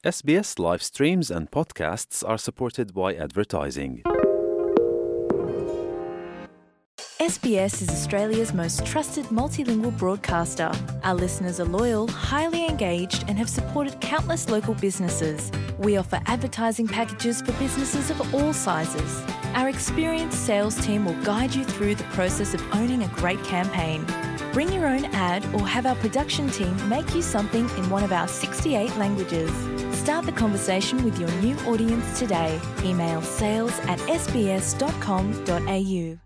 SBS live streams and podcasts are supported by advertising. SBS is Australia's most trusted multilingual broadcaster. Our listeners are loyal, highly engaged, and have supported countless local businesses. We offer advertising packages for businesses of all sizes. Our experienced sales team will guide you through the process of owning a great campaign. Bring your own ad or have our production team make you something in one of our 68 languages. Start the conversation with your new audience today. Email sales at sbs.com.au.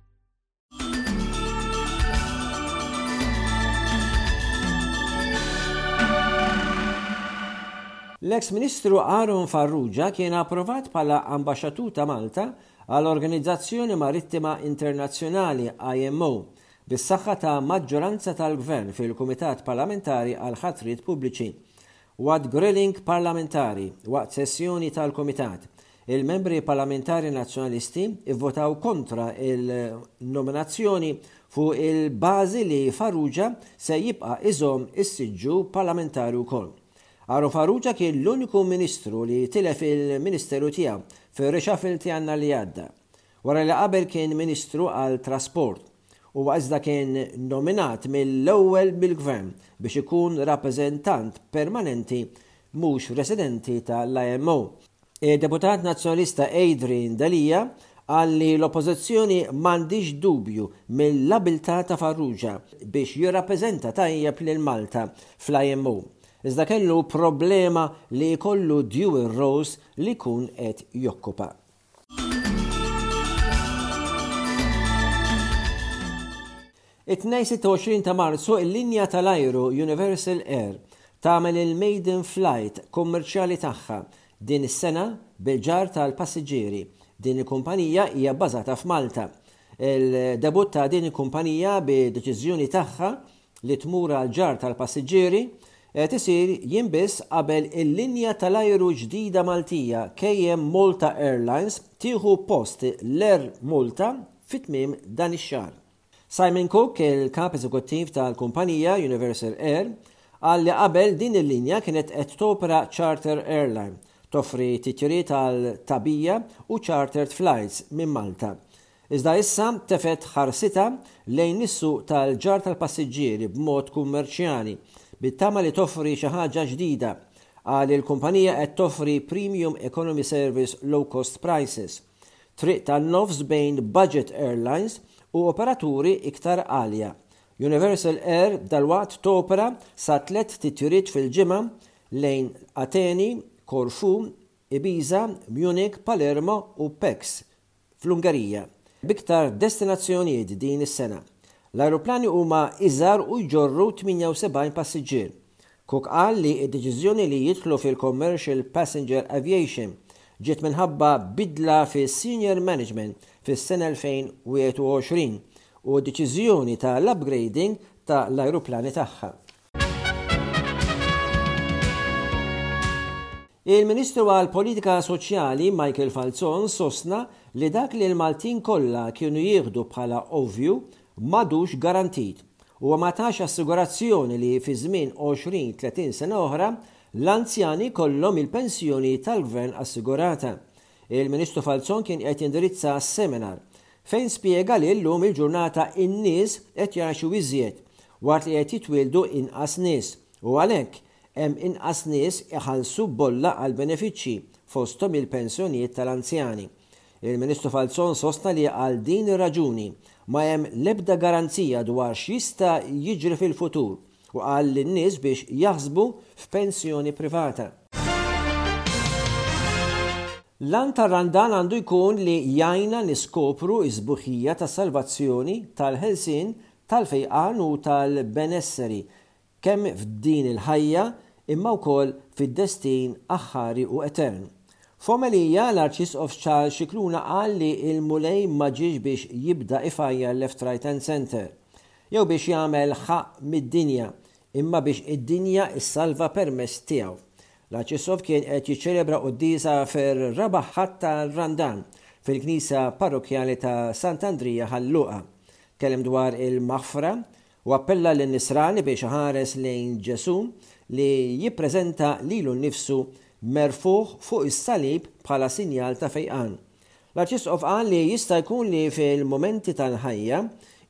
L-eks Ministru Aaron Farrugia kien approvat bħala Ambaxxatur ta' Malta għall-Organizzazzjoni Marittima Internazzjonali, IMO, bis-saħħa ta' maġġoranza tal-Gvern fil-Kumitat Parlamentari għall-Ħatriet Pubbliċi. Waqt grilling parlamentari waqt sessjoni tal-Kumitat, il-Membri Parlamentari Nazzjonalisti vvotaw kontra l-nominazzjoni fuq il-bażi li Farrugia se jibqa' iżomm is-siġġu parlamentari wkoll. Aaron Farrugia kien l-uniku Ministru li tilef il-Ministeru tiegħu fir-reshuffle ta' Jannar li għadda. Wara li qabel kien Ministru għal Trasport. Huwa iżda kien nominat mill-ewwel mill-Gvern biex ikun rappreżentant permanenti mhux residenti ta' l-IMO. Id-Deputat Nazzjonalista Adrian Delia qal li l-Oppożizzjoni m'għandhiex dubju mill-abiltà ta' Farrugia biex jirrappreżenta tajjeb lil Malta fl-IMO, iżda kellu problema li jkollu dual roles li jkun qed jokkupa. It-Tnejn 26 ta' Marzu il-linja tal-ajru Universal Air tagħmel il-maiden flight kummerċjali tagħha din is-sena bil-ġarr tal-passiġġieri. Din il-kumpanija hija bbażata f'Malta. Il-debutt ta' din il-kumpanija bi deċiżjoni tagħha li tmur għall-ġarr tal-passiġġieri qed isir jiem biss qabel il-linja tal-ajru ġdida Maltija KM Malta Airlines tieħu post l-Air Malta fi tmiem dan ix-xahar. Simon Cook, il-Kap Eżekuttiv tal-kumpanija Universal Air, qal li qabel din il-linja kienet qed topera charter airline, toffri titjiriet għal tagħbija u chartered flights minn Malta. Iżda issa tefgħet ħarsitha lejn is-suq tal-ġarr tal-passiġġieri b'mod kummerċjali, bit-tama li toffri xi ħaġa ġdida. Qal li l-kumpanija qed toffri premium economy service low cost prices, triq tan-nofs bejn budget airlines u operaturi iktar għalja. Universal Air dalwaqt topera sa tlett titjiriet fil-ġimgħa lejn Ateni, Corfu, Ibiza, Munich, Palermo u Pécs fl-Ungerija, b'iktar destinazzjonijiet din is-sena. L-ajruplani huma iżgħar u jġorru 78 passiġġier. Cook qal li d-deċiżjoni li jidħlu fil-commercial passenger aviation ġiet minħabba bidla fis-senior management fis-sena 2021 u d-deċiżjoni ta' l-upgrading ta' l-ajruplani tagħha. Il-Ministru għall-Politika Soċjali Michael Falzon sostna li dak li l-Maltin kollha kienu jieħdu bħala ovvju m'għadux garantit. Huwa ma tax assigurazzjoni li fi żmien 20, 30 sena oħra l-anzjani jkollhom il-pensjoni tal-Gvern assigurata. Il-Ministru Falzon kien qed jindirizza seminar fejn spjega li llum il-ġurnata n-nies qed jgħixu iżjed waqt li qed jitwieldu inqas nies u għalhekk hemm inqas nies iħallsu bolla għall-benefiċċji, fosthom il-pensjonijiet tal-anzjani. Il-Ministru Falzon sostna li għal din ir-raġuni ma hemm l-ebda garanzija dwar x'jista' jiġri fil-futur u qal lin-nies biex jaħsbu f'pensjoni privata. L-għan tar-Randan għandu jkun li jgħinna niskopru s-sbuħija tas-salvazzjoni, tal-ħelsien, tal-fejqan u tal-benesseri kemm f'din il-ħajja imma wkoll fid-destin aħħari u etern. F'omelija, l-Arċisqof Charles Scicluna qal li l-Mulej ma ġiex biex jibda ifajjar left right and centre, jew biex jagħmel ħaqq mid-dinja, imma biex id-dinja ssalva permezz tiegħu. L-Arċisqof kien qed jiċċelebra quddiesa fir-raba' Ħadd tar-Randan fil-Knisja Parrokkjali ta' Sant'Andrija Ħal Luqa. Tkellem dwar il-maħfra u appella lin-Nisrani biex iħares lejn Ġesù li jippreżenta lilu nnifsu merfugħ fuq is-salib bħala sinjal ta' fejqan. L-Arċisqof qal li jista' jkun li fil-mumenti tal-ħajja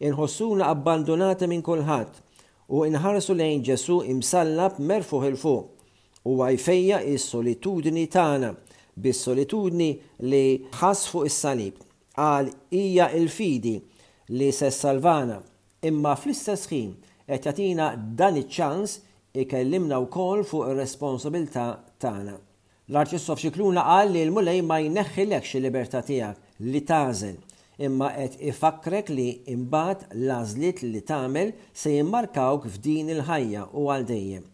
inħossuna abbandunati minn kulħadd u inħarsu lejn Ġesù imsallab merfugħ 'il fuq. Huwa jfejjaq is-solitudni tagħna bis-solitudni li ħass fuq is-salib. Qal hija l-fidi li se ssalvana, imma fl-istess ħin qed jagħtina dan iċ-ċans ikellimna wkoll fuq ir-responsabilità tagħna. L-Arċisqof Scicluna qal li l-Mulej ma jneħħilekx il-libertà tiegħek li tagħżel, imma qed ifakkrek li imbagħad l-għażliet li tagħmel se jimmarkawk f'din il-ħajja u għal dejjem.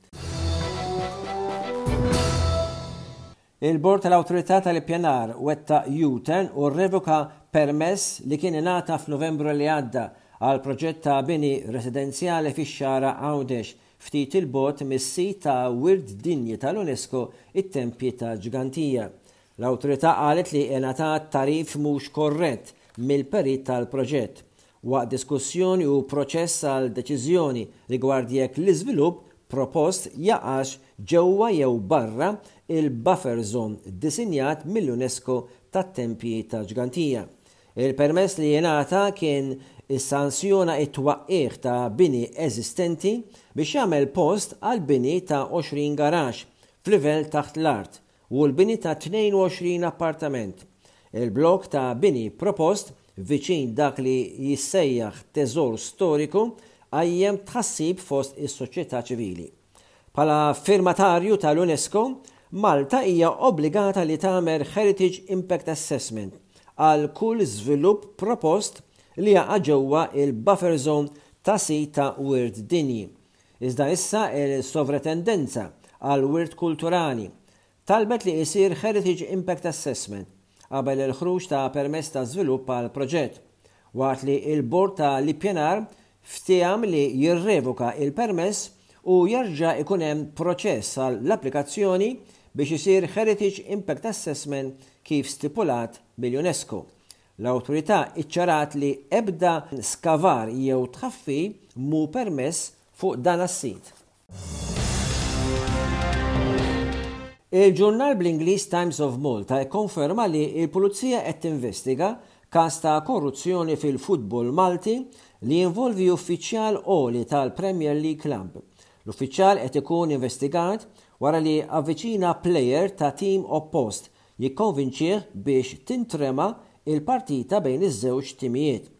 Il-Bord tal-Awtorità tal-Ippjanar wettaq U-turn u rrevoka permess li kien ingħata f'Novembru li għadda għal proġett ta' bini residenzjali fix-Xagħra Għawdex, ftit 'il bogħod mis-sit ta' Wirt Dinji tal-UNESCO it-Tempji ta' Ġgantija. L-Awtorità qalet li ingħatat tagħrif mhux korrett mill-perit tal-proġett waqt diskussjoni u proċess għal deċiżjoni rigward jekk l-iżvilupp propost jaqax ġewwa jew barra l-buffer zone ddisinjat mill-UNESCO tat-Tempji ta' Ġgantija. Il-permess li ingħata kien issanzjona t-twaqqigħ ta' bini eżistenti biex jagħmel post għall-bini ta' 20 garaxx f'livell taħt l-art u l-bini ta' 22 appartament. Il-blokk ta' bini propost, viċin dak li jissejjaħ teżor storiku, qajjem tħassib fost is-soċjetà ċivili. Bħala firmatarju tal-UNESCO, Malta hija obbligata li tagħmel Heritage Impact Assessment għal kull żvilupp propost li jaqa' ġewwa l-buffer zone ta' sit ta' wirt dinji. Iżda issa il-Sovretendenza għall-Wirt Kulturali talbet li isir Heritage Impact Assessment qabel il-ħruġ ta' permess ta' żvilupp għall-proġett, waqt li l-Bord ta' l-Ippjanar ftiehem li jirrevoka il-permess u jerġa' ikun hemm proċess għall-applikazzjoni biex isir Heritage Impact Assessment kif stipulat mill-UNESCO. L-Awtorità iċċarat li ebda skavar jew tħaffir mhu permess fuq dan as-sit. Il-ġurnal bl-Ingliż Times of Malta kkonferma li l-Pulizija qed tinvestiga każ ta' korruzzjoni fil-futbol Malti li jinvolvi uffiċjal għoli tal-Premier League Club. L-uffiċjal qed ikun investigat wara li avviċina plejer ta' tim oppost jikkonvinċih biex tintrema l-partita bejn iż-żewġ timijiet.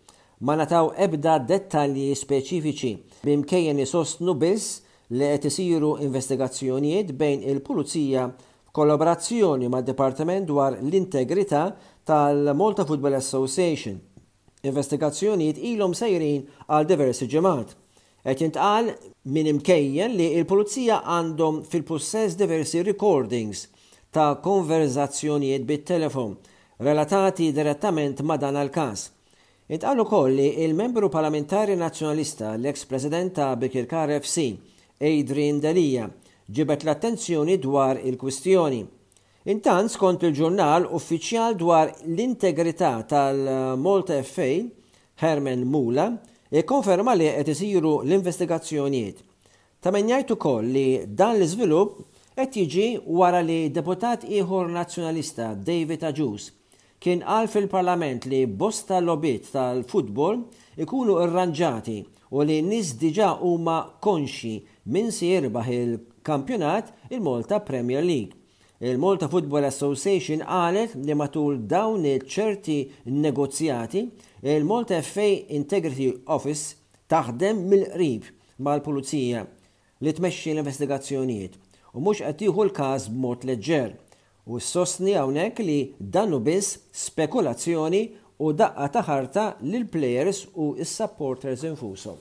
Ma ngħataw ebda dettalji speċifiċi, b'imkejjen isostnu biss li qed isiru investigazzjonijiet bejn il-Pulizija f'kollaborazzjoni mad-Dipartiment dwar l-Integrità tal-Malta Football Association. Investigazzjonijiet ilhom sejrin għal diversi ġimgħat. Qed jintqal minn imkejjen li l-Pulizija għandhom fil-pussess diversi recordings ta' konverżazzjonijiet bit-telefon relatati direttament ma' dan l-każ. Intqal ukoll li l-Membru Parlamentari Nazzjonalista, l-eks President ta' Birkirkara FC, Adrian Delia, ġibed l-attenzjoni dwar il-kwistjoni. Intant, skont il-ġurnal, uffiċjal dwar l-integrità tal-Malta FA, Herman Mula, ikkonferma li qed isiru l-investigazzjonijiet. Ta' min jgħid ukoll li dan l-iżvilupp qed jiġi wara li deputat ieħor Nazzjonalista, David Agius, kien qal fil-Parlament li bosta logħbiet tal-futbol ikunu rranġati u li n-nies diġà huma konxji min se jirbaħ il-kampjonat, il-Malta Premier League. Il-Malta Football Association qalet li matul dawn ċerti negozjati, il-Malta FA Integrity Office taħdem mill-qrib mal-Pulizija li tmexxi l-investigazzjonijiet u mhux qed tieħu l-każ b'mod leġġer u ssostni hawnhekk li dan hu biss spekulazzjoni u daqqa ta' ħarta lill-plejers u s-supporters infushom.